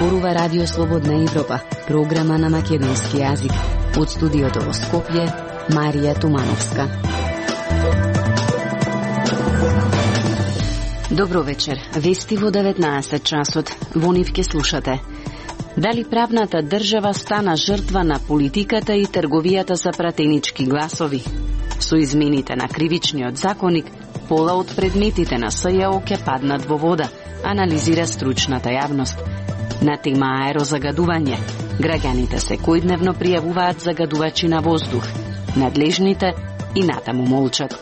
зборува Радио Слободна Европа, програма на македонски јазик. Од студиото во Скопје, Марија Тумановска. Добро вечер. Вести во 19 часот. Во нив ке слушате. Дали правната држава стана жртва на политиката и трговијата за пратенички гласови? Со измените на кривичниот законник, пола од предметите на СЈО ќе паднат во вода, анализира стручната јавност. На тема аерозагадување, граѓаните секојдневно пријавуваат загадувачи на воздух. Надлежните и натаму молчат.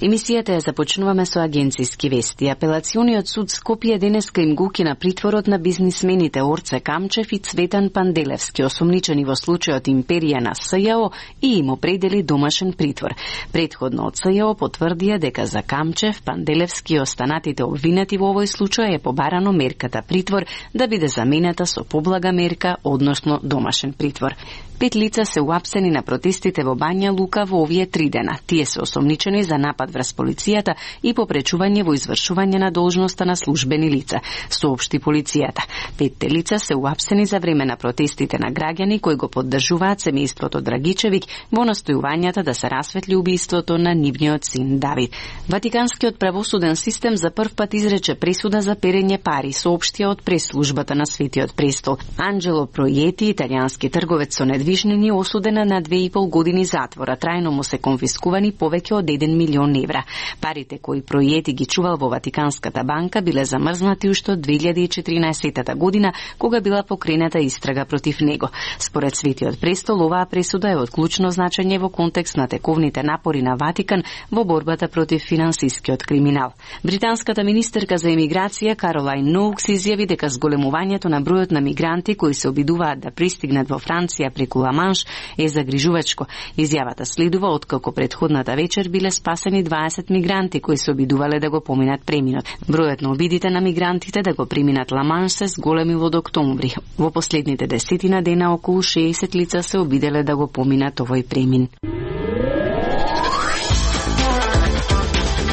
Емисијата ја започнуваме со агенциски вести. Апелациониот суд Скопје денеска им го укина притворот на бизнисмените Орце Камчев и Цветан Панделевски, осомничени во случајот Империја на СЈО, и им определи домашен притвор. Претходно од СЈО потврдија дека за Камчев, Панделевски и останатите обвинети во овој случај е побарано мерката притвор да биде заменета со поблага мерка, односно домашен притвор. 5 лица се уапсени на протестите во Бања Лука во овие 3 дена. Тие се осомничени за напад врз полицијата и попречување во извршување на должноста на службени лица, соопшти полицијата. 5 лица се уапсени за време на протестите на граѓани кои го поддржуваат семејството Драгичевиќ во настојувањата да се расветли убиството на нивниот син Давид. Ватиканскиот правосуден систем за прв пат изрече пресуда за перење пари, соопштија од пресслужбата на Светиот престол. Анджело Пројети, италијански трговец со недвижнини, осудена на 2,5 години затвора. Трајно му се конфискувани повеќе од 1 милион евра. Парите кои Пројети ги чувал во Ватиканската банка биле замрзнати уште од 2014 година, кога била покрената истрага против него. Според Светиот престол, оваа пресуда е од клучно значење во контекст на тековните напори на Ватикан во борбата против финансискиот криминал. Британската министерка за емиграција Каролайн Ноукс изјави дека зголемувањето на бројот на мигранти кои се обидуваат да пристигнат во Франција преку Ла-Манш е загрижувачко. Изјавата следува откако претходната вечер биле спасени 20 мигранти кои се обидувале да го поминат преминот. Бројот на обидите на мигрантите да го преминат Ла-Манш се зголемил од октомври. Во последните 10 дена околу 60 лица се обиделе да го поминат овој премин.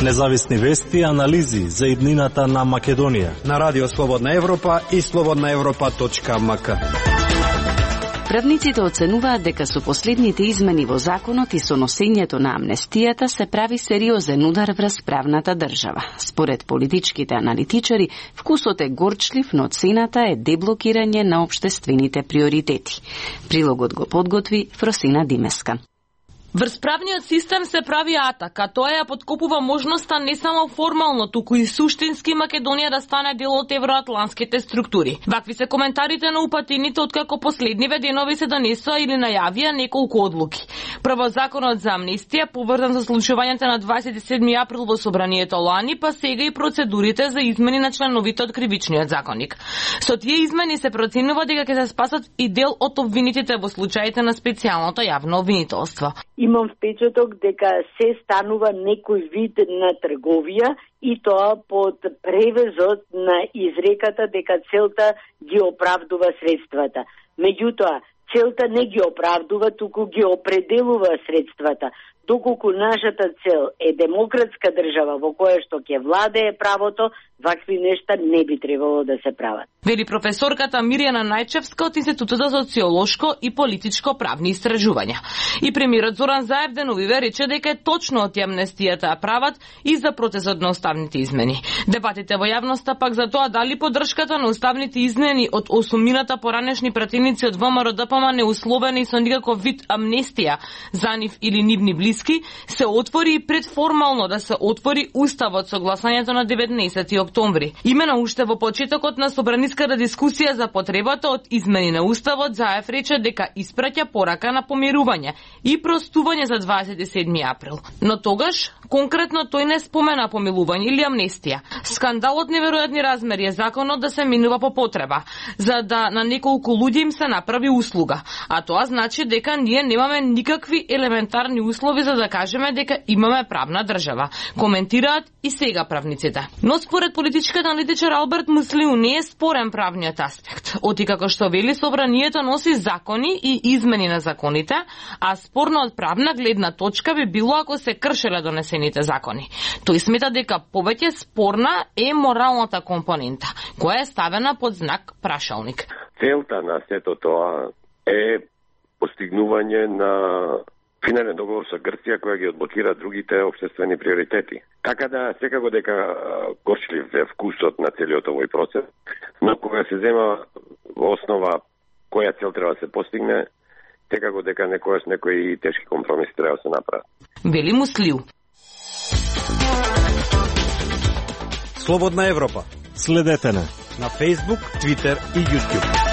Независни вести и анализи за иднината на Македонија на Радио Слободна Европа и slobodnaevropa.mk. Правниците оценуваат дека со последните измени во законот и со носењето на амнестијата се прави сериозен удар врз правната држава. Според политичките аналитичари, вкусот е горчлив, но цената е деблокирање на општествените приоритети. Прилогот го подготви Фросина Димеска. Врз правниот систем се прави атак, а тоа ја подкопува можноста не само формално, туку и суштински Македонија да стане дел од евроатланските структури. Вакви се коментарите на упатените откако последниве денови се донесоа или најавија неколку одлуки. Прво законот за амнестија, поврзан со случувањата на 27 април во собранието лани, па сега и процедурите за измени на членовите од кривичниот законник. Со тие измени се проценува дека ќе се спасат и дел од обвинетите во случаите на специјалното јавно обвинителство. Имам впечаток дека се станува некој вид на трговија и тоа под превезот на изреката дека целта ги оправдува средствата. Меѓутоа, целта не ги оправдува, туку ги определува средствата. Доколку нашата цел е демократска држава во која што ќе владее правото, вакви нешта не би требало да се прават. Вели професорката Мирјана Најчевска од Институтот за социолошко и политичко правни истражувања. И премиерот Зоран Заев деновиве рече дека е точно од амнестијата ја прават и за процесот на уставните измени. Дебатите во јавноста пак за тоа дали поддршката на уставните измени од осумината поранешни пратеници од ВМРО ДПМ неусловени со никаков вид амнестија за нив или нивни близки се отвори и предформално да се отвори уставот со гласањето на 19 октомври. Имено уште во почетокот на собраниската дискусија за потребата од измени на уставот, Заев рече дека испраќа порака на помирување и простување за 27 април. Но тогаш конкретно тој не спомена помилување или амнестија. Скандалот неверојатни размери е законот да се минува по потреба, за да на неколку луѓе им се направи услуга. А тоа значи дека ние немаме никакви елементарни услови услови за да кажеме дека имаме правна држава, коментираат и сега правниците. Но според политичкиот аналитичар Алберт Муслиу не е спорен правниот аспект. Оти како што вели, собранието носи закони и измени на законите, а спорно од правна гледна точка би било ако се кршеле донесените закони. Тој смета дека повеќе спорна е моралната компонента, која е ставена под знак прашалник. Целта на сето тоа е постигнување на финален договор со Грција која ги одблокира другите општествени приоритети. Така да секако дека горчлив е вкусот на целиот овој процес, но кога се зема во основа која цел треба да се постигне, секако дека некојаш некои тешки компромиси треба да се направат. Вели Муслиу. Слободна Европа. Следете на Facebook, Twitter и YouTube.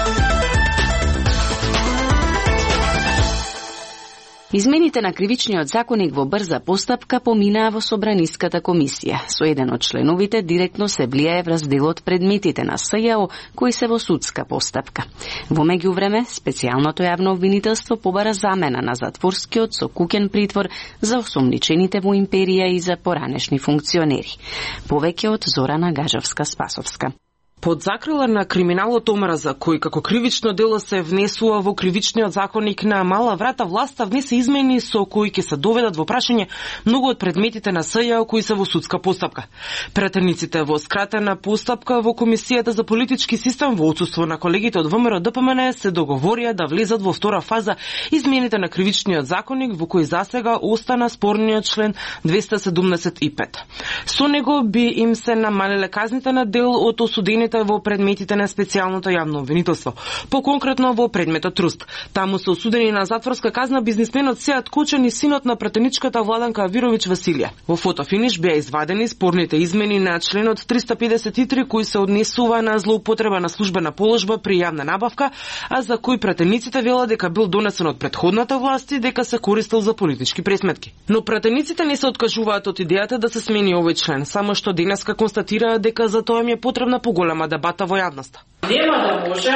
Измените на кривичниот законник во брза постапка поминаа во Собраниската комисија. Со еден од членовите директно се влијае врз делот предметите на СЈО кои се во судска постапка. Во меѓувреме, специјалното јавно обвинителство побара замена на затворскиот со куќен притвор за осомничените во империја и за поранешни функционери. Повеќе од Зорана Гажовска-Спасовска. Под закрила на криминалот омраза, кој како кривично дело се внесува во кривичниот законник на мала врата, власта внесе измени со кои ќе се доведат во прашање многу од предметите на СЈО кои се во судска постапка. Претениците во скратена постапка во Комисијата за политички систем во отсуство на колегите од ВМРО ДПМН се договорија да влезат во втора фаза измените на кривичниот законник во кој засега остана спорниот член 275. Со него би им се намалиле казните на дел од осудени во предметите на специјалното јавно обвинителство. Поконкретно во предметот Труст. Таму се осудени на затворска казна бизнисменот Сеат Кочан и синот на претеничката Владанка Авировиќ Василија. Во фотофиниш беа извадени спорните измени на членот 353 кои се однесува на злоупотреба на службена положба при јавна набавка, а за кој претениците велат дека бил донесен од претходната власт и дека се користел за политички пресметки. Но претениците не се откажуваат од идејата да се смени овој член, само што денеска констатираат дека за тоа им е потребна поголема дебата во јавноста. Нема да може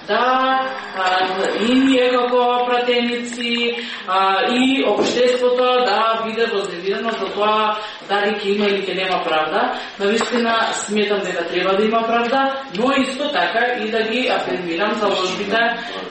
да и ние како пратеници и општеството да биде возревидено за тоа дали ќе има или ќе нема правда. Навистина сметам дека треба да има правда, но исто така и да ги афирмирам заложбите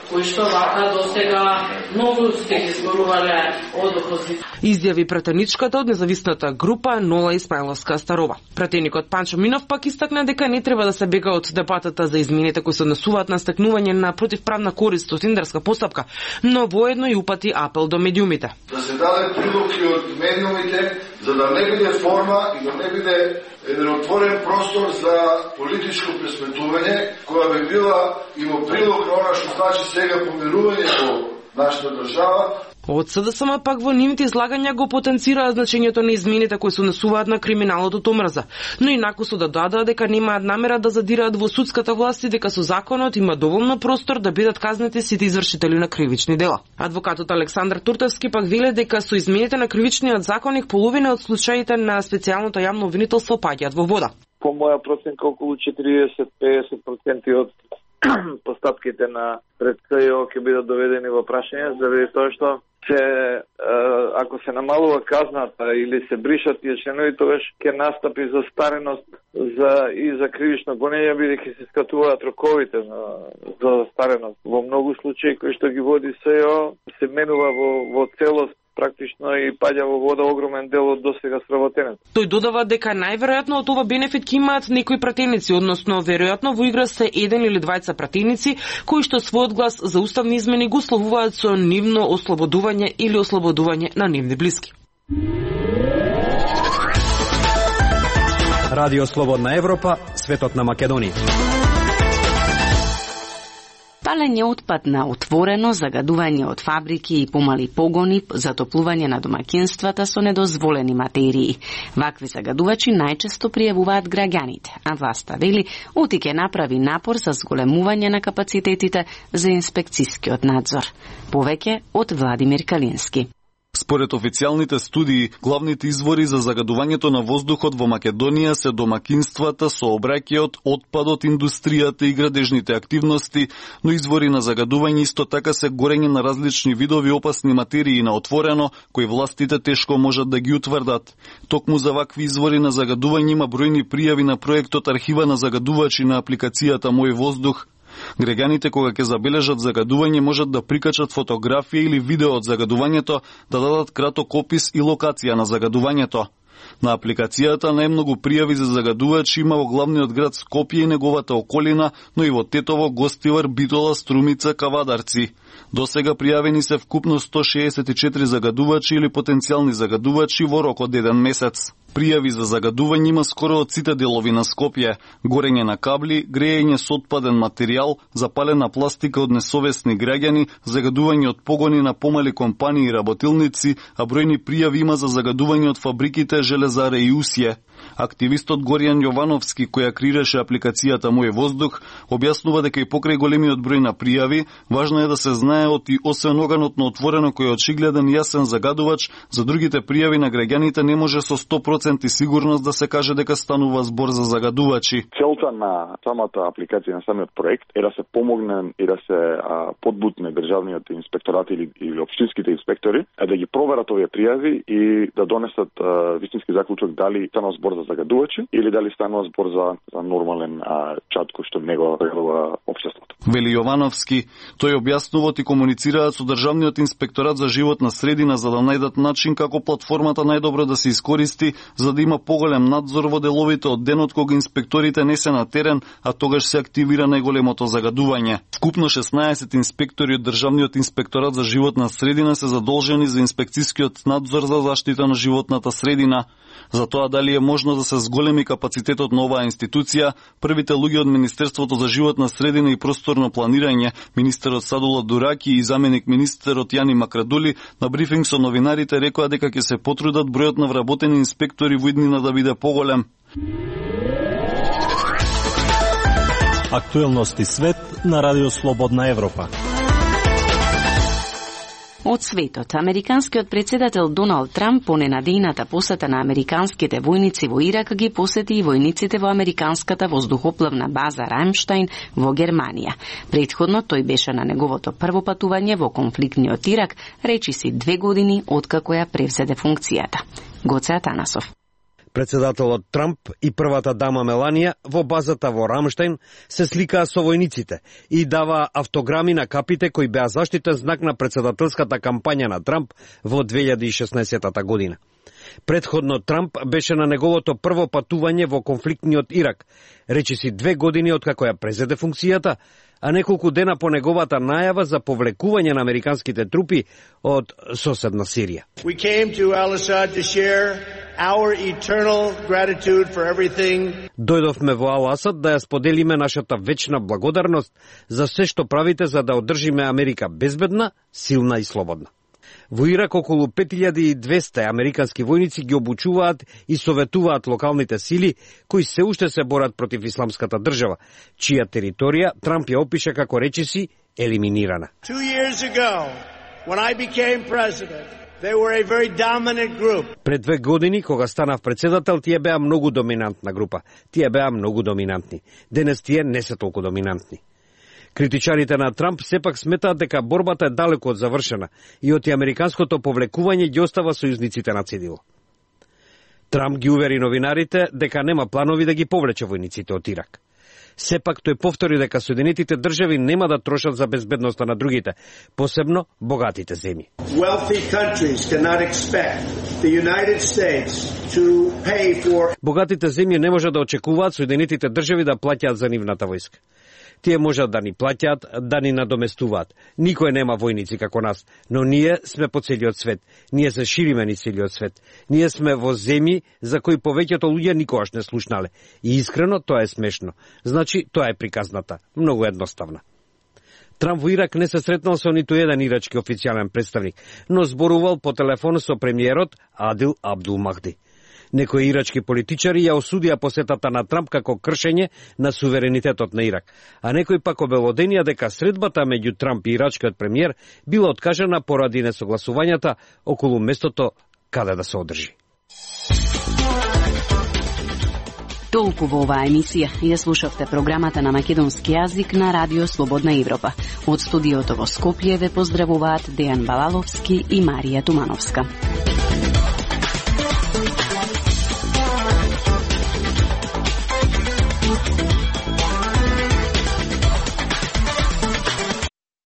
кои што вака досега многу сте ги зборувале од опозиција. Изјави пратеничката од независната група Нола Исмаиловска Старова. Пратеникот Панчо Минов пак истакна дека не треба да се бега од дебатата за измените кои се однесуваат на стекнување на противправна корист од тендерска постапка, но воедно и упати апел до медиумите. Да се даде прилог и од медиумите, за да не биде форма и да не биде еден отворен простор за политичко пресметување, која би била и во прилог на она што значи сега помирување во нашата држава. Од СДСМ пак во нивните излагања го потенцираат значењето на измените кои се однесуваат на криминалот од омраза, но инаку се додадаа дека немаат намера да задираат во судската власт и дека со законот има доволно простор да бидат казнети сите извршители на кривични дела. Адвокатот Александар Туртевски пак веле дека со измените на кривичниот законник половина од случаите на специјалното јавно обвинителство паѓаат во вода. По моја проценка околу 40-50% од постапките на пред СЈО ќе бидат доведени во прашање заради тоа што ако се намалува казната или се бришат тие членови, тогаш ќе настапи застареност и за кривично гонење, бидејќи се скратуваат роковите за застареност. Во многу случаи кои што ги води СЈО се менува во целост практично и паѓа во вода огромен дел од досега сработеното. Тој додава дека најверојатно од ова бенефит ќе имаат некои пратеници, односно веројатно во игра се еден или двајца пратеници кои што својот глас за уставни измени го условуваат со нивно ослободување или ослободување на нивни блиски. Радио Слободна Европа, светот на Македонија. Палење отпад на отворено, загадување од фабрики и помали погони, затоплување на домаќинствата со недозволени материи. Вакви загадувачи најчесто пријавуваат граѓаните, а власта вели оти ќе направи напор за зголемување на капацитетите за инспекцискиот надзор. Повеќе од Владимир Калински. Според официјалните студии, главните извори за загадувањето на воздухот во Македонија се домакинствата, сообраќајот, отпадот, индустријата и градежните активности, но извори на загадување исто така се горење на различни видови опасни материи на отворено, кои властите тешко можат да ги утврдат. Токму за вакви извори на загадување има бројни пријави на проектот Архива на загадувачи на апликацијата Мој воздух. Граѓаните кога ќе забележат загадување можат да прикачат фотографија или видео од загадувањето, да дадат краток опис и локација на загадувањето. На апликацијата најмногу пријави за загадувачи има во главниот град Скопје и неговата околина, но и во Тетово, Гостивар, Битола, Струмица, Кавадарци. Досега пријавени се вкупно 164 загадувачи или потенцијални загадувачи во рок од 1 месец. Пријави за загадување има скоро од сите делови на Скопје: горење на кабли, грејење со отпаден материјал, запалена пластика од несовесни граѓани, загадување од погони на помали компании и работилници, а бројни пријави има за загадување од фабриките Железаре и Усје. Активистот Горијан Јовановски, која креираше апликацијата Мој воздух, објаснува дека и покрај големиот број на пријави, важно е да се знаеот и освен оганот на отворено кој е очигледен и јасен загадувач, за другите пријави на граѓаните не може со 100% сигурност да се каже дека станува збор за загадувачи. Целта на самата апликација, на самиот проект е да се помогне и да се подбутне државниот инспекторат или општинските инспектори, да ги проверат овие пријави и да донесат вистински заклучок дали станува збор за загадувачи или дали станува збор за нормален чат кој што него регулира општеството. Вели Јовановски, тој објаснуваат и комуницираат со државниот инспекторат за животна средина за да најдат начин како платформата најдобро да се искористи за да има поголем надзор во деловите од денот кога инспекторите не се на терен, а тогаш се активира најголемото загадување. Вкупно 16 инспектори од државниот инспекторат за животна средина се задолжени за инспекцискиот надзор за заштита на животната средина. За тоа дали е можно да се зголеми капацитетот на оваа институција, првите луѓе од Министерството за животна средина и просторно планирање, министерот Садула Дураки и заменик министерот Јани Макрадули, на брифинг со новинарите рекоа дека ќе се потрудат бројот на вработени инспектори во иднина да биде поголем. Актуелности свет на Радио Слободна Европа. Од светот, американскиот председател Доналд Трамп по ненадејната посета на американските војници во Ирак ги посети и војниците во американската воздухоплавна база Рамштајн во Германија. Претходно тој беше на неговото прво патување во конфликтниот Ирак, речиси 2 години откако ја превзеде функцијата. Гоце Атанасов. Председателот Трамп и првата дама Меланија во базата во Рамштајн се сликаа со војниците и дава автограми на капите кои беа заштитен знак на председателската кампања на Трамп во 2016 година. Предходно Трамп беше на неговото прво патување во конфликтниот Ирак, речиси 2 години откако ја презеде функцијата, а неколку дена по неговата најава за повлекување на американските трупи од соседна Сирија. We came to Al-Assad to share our eternal gratitude for everything. Дојдовме во Ал-Асад да ја споделиме нашата вечна благодарност за се што правите за да одржиме Америка безбедна, силна и слободна. Во Ирак околу 5200 американски војници ги обучуваат и советуваат локалните сили кои се уште се борат против исламската држава, чија територија Трамп ја опиша како речиси елиминирана. 2 years ago, when I became president, they were a very dominant group. Пред 2 години, кога станав председател, тие беа многу доминантна група. Тие беа многу доминантни. Денес тие не се толку доминантни. Критичарите на Трамп сепак сметаат дека борбата е далеку од завршена и од американското повлекување ги остава сојузниците на цедило. Трамп ги увери новинарите дека нема планови да ги повлече војниците од Ирак. Сепак тој повтори дека Соединетите држави нема да трошат за безбедноста на другите, посебно богатите земји. Богатите земји не може да очекуваат Соединетите држави да плаќаат за нивната војска. Тие можат да ни плаќаат, да ни надоместуваат. Никој нема војници како нас, но ние сме по целиот свет. Ние се шириме низ целиот свет. Ние сме во земји за кои повеќето луѓе никогаш не слушнале. И искрено тоа е смешно. Значи, тоа е приказната. Многу едноставна. Трамп во Ирак не се сретнал со ниту еден ирачки официјален представник, но зборувал по телефон со премиерот Адил Абдул Махди. Некои ирачки политичари ја осудија посетата на Трамп како кршење на суверенитетот на Ирак, а некои пак обелоденија дека средбата меѓу Трамп и ирачкиот премиер била откажана поради несогласувањата околу местото каде да се одржи. Толку во оваа емисија. Ја слушавте програмата на македонски јазик на Радио Слободна Европа. Од студиото во Скопје ве поздравуваат Дејан Балаловски и Марија Тумановска.